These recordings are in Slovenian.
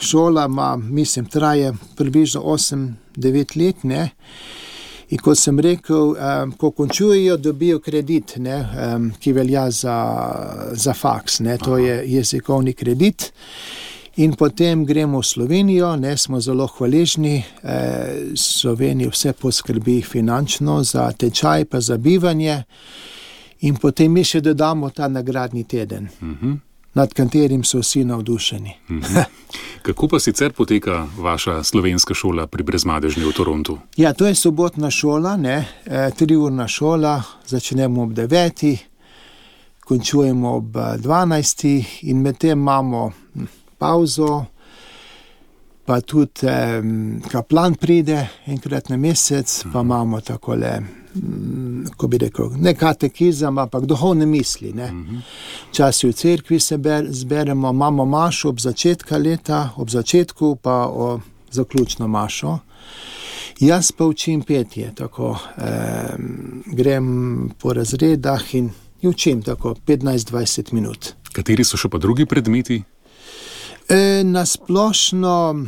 šola traje približno 8-9 let, ne. In kot sem rekel, ko končujejo, dobijo kredit, ne, ki velja za faks, ne, to je jezikovni kredit. In potem gremo v Slovenijo, ne, smo zelo hvaležni, Slovenija vse poskrbi finančno za tečaj pa za bivanje in potem mi še dodamo ta nagradni teden, nad katerim so vsi navdušeni. Kako pa sicer poteka vaša slovenska šola pri Brezmadežni v Torontu? Ja, to je sobotna šola, ne, 3-urna šola, začnemo ob 9, končujemo ob 12 in medtem imamo pauzo, pa tudi kaplan pride enkrat na mesec, pa imamo takole, ko bi rekel, ne katekizem, ampak duhovne misli, ne. Včasih v cerkvi se zberemo, imamo mašo ob začetku pa zaključno mašo. Jaz pa učim petje, tako, grem po razredah in učim tako 15-20 minut. Kateri so še pa drugi predmeti? Na splošno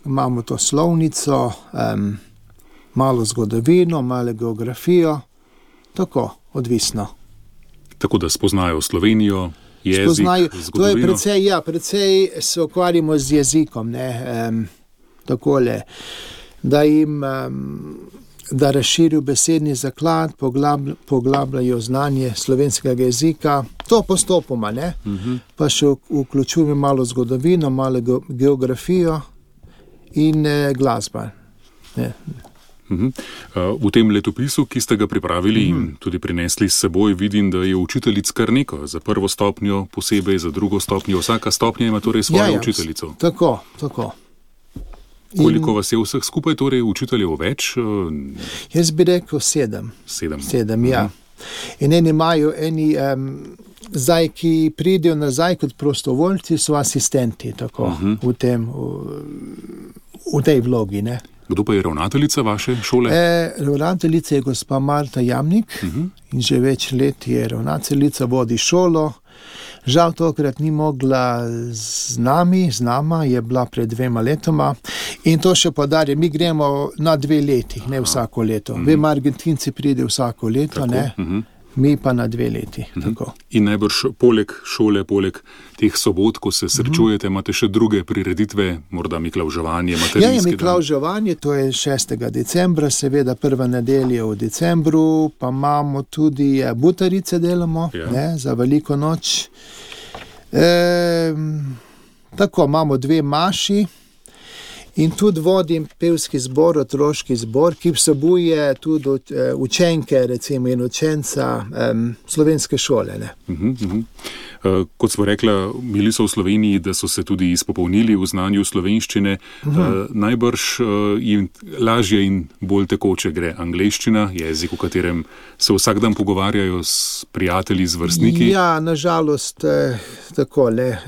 imamo to slovnico, malo zgodovino, malo geografijo, tako, odvisno. Tako da spoznajo Slovenijo, jezik, zgodovino. To je precej se ukvarjamo z jezikom, ne, takole, da razširijo besedni zaklad, poglabljajo znanje slovenskega jezika, to postopoma, ne, pa še vključujemo malo zgodovino, malo geografijo in glasba. Ne. V tem letopisu, ki ste ga pripravili in tudi prinesli s seboj, vidim, da je učiteljic kar neko, za prvo stopnjo posebej, za drugo stopnjo, vsaka stopnja ima torej svojo učiteljico. Tako. Koliko vas je vseh skupaj, torej učiteljev več? Jaz bi rekel 7. 7, ja. In imajo zdaj, ki pridejo nazaj kot prostovoljci, so asistenti, tako, v tej vlogi, ne. Kdo pa je ravnateljica vaše šole? Ravnateljica je gospa Marta Jamnik in že več let je ravnateljica, vodi šolo. Žal tokrat ni mogla z nama, je bila pred 2 letoma in to še podarja, mi gremo na 2 leti, ne vsako leto. Vem, Argentinci pride vsako leto, tako, ne, mi pa na 2 leti. Tako. In najbrž poleg šole, poleg teh sobot, ko se srečujete, imate še druge prireditve, morda miklavževanje, materinski dan? Ja, miklavževanje, to je 6. decembra, seveda prva nedelja v decembru, pa imamo tudi butarice delamo, ne, za veliko noč. Tako, imamo 2 maši in tudi vodim pevski zbor, otroški zbor, ki vsebuje tudi učenke, recimo, in učenca slovenske šole, ne. Kot smo rekla, bili so v Sloveniji, da so se tudi izpopolnili v znanju slovenščine. Najbrž jim lažje in bolj tekoče gre angleščina, jezik, v katerem se vsak dan pogovarjajo s prijatelji, z vrstniki. Ja, nažalost, takole,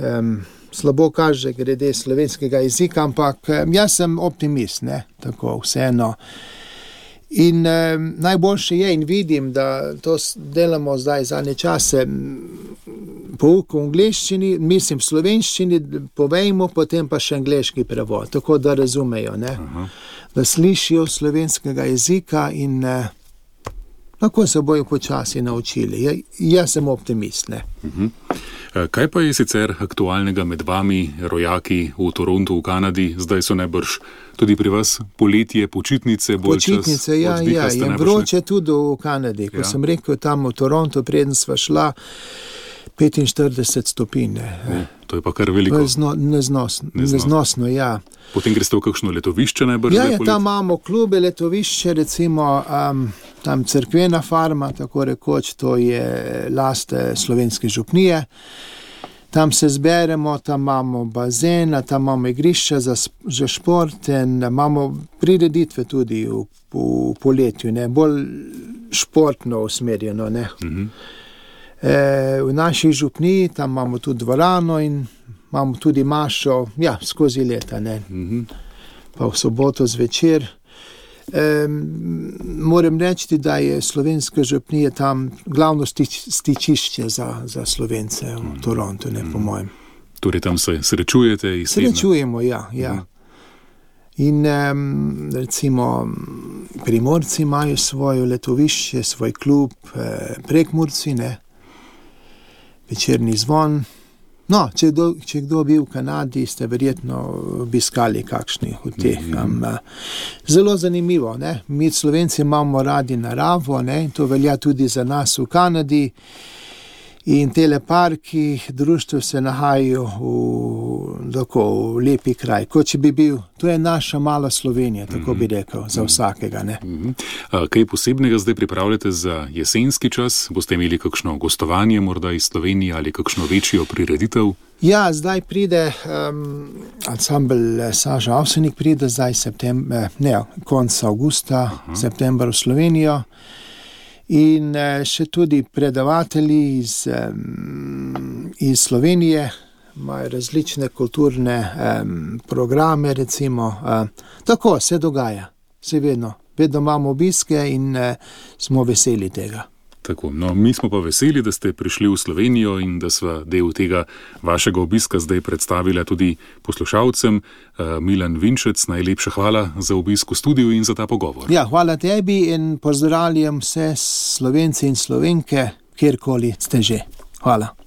slabo kaže glede slovenskega jezika, ampak jaz sem optimist, ne, tako, vseeno. In najboljše je in vidim, da to delamo zdaj zadnje čase, pouk v angleščini, mislim v slovenščini, povejmo, potem pa še angleški prevod, tako da razumejo, ne, da slišijo slovenskega jezika in lahko se bojo počasi naučili. Jaz sem optimist, ne. Kaj pa je sicer aktualnega med vami, rojaki v Torontu, v Kanadi? Zdaj so najbrž tudi pri vas poletje, počitnice, bolj čas oddiha. Ja, je vroče tudi v Kanadi. Ko sem rekel tam v Torontu, preden sva šla, 45 stopinj. To je pa kar veliko. To je neznosno, ja. Potem greste v kakšno letovišče najbrž? Ja, tam imamo klube, letovišče, recimo tam cerkvena farma, tako rekoč, to je last Slovenske župnije. Tam se zberemo, tam imamo bazena, tam imamo igrišča za šport in imamo prireditve tudi v poletju, ne, bolj športno usmerjeno, ne. V naši župniji tam imamo tudi dvorano in imamo tudi mašo, ja, skozi leta, ne. Pa v soboto zvečer. Moram reči, da je Slovenska župnija tam glavno stičišče za Slovence v Torontu, ne, po mojem. Torej tam se srečujete iz tedna? Srečujemo, ja. In recimo Primorci imajo svoje letovišče, svoj klub, Prekmurci, ne, večerni zvon. No, če kdo bil v Kanadi, ste verjetno obiskali kakšni od teh. Zelo zanimivo, ne. Mi Slovenci imamo radi naravo, ne, in to velja tudi za nas v Kanadi. In tele parki, društvo se nahajajo v lepi kraj. Kot če bi bil, to je naša mala Slovenija, tako bi rekel, za vsakega. Ne? Kaj posebnega zdaj pripravljate za jesenski čas? Boste imeli kakšno gostovanje morda iz Slovenije ali kakšno večjo prireditev? Ja, zdaj pride ansambel Saža Avsenik, pride zdaj konec avgusta, september v Slovenijo. In še tudi predavatelji iz Slovenije imajo različne kulturne programe, recimo. Tako se dogaja, se vedno imamo obiske in smo veseli tega. Tako, no, mi smo pa veseli, da ste prišli v Slovenijo in da sva del tega vašega obiska zdaj predstavila tudi poslušalcem. Milan Vinčec, najlepša hvala za obisk v studiu in za ta pogovor. Ja, hvala tebi in pozdravljam vse Slovenci in Slovenke, kjerkoli ste že. Hvala.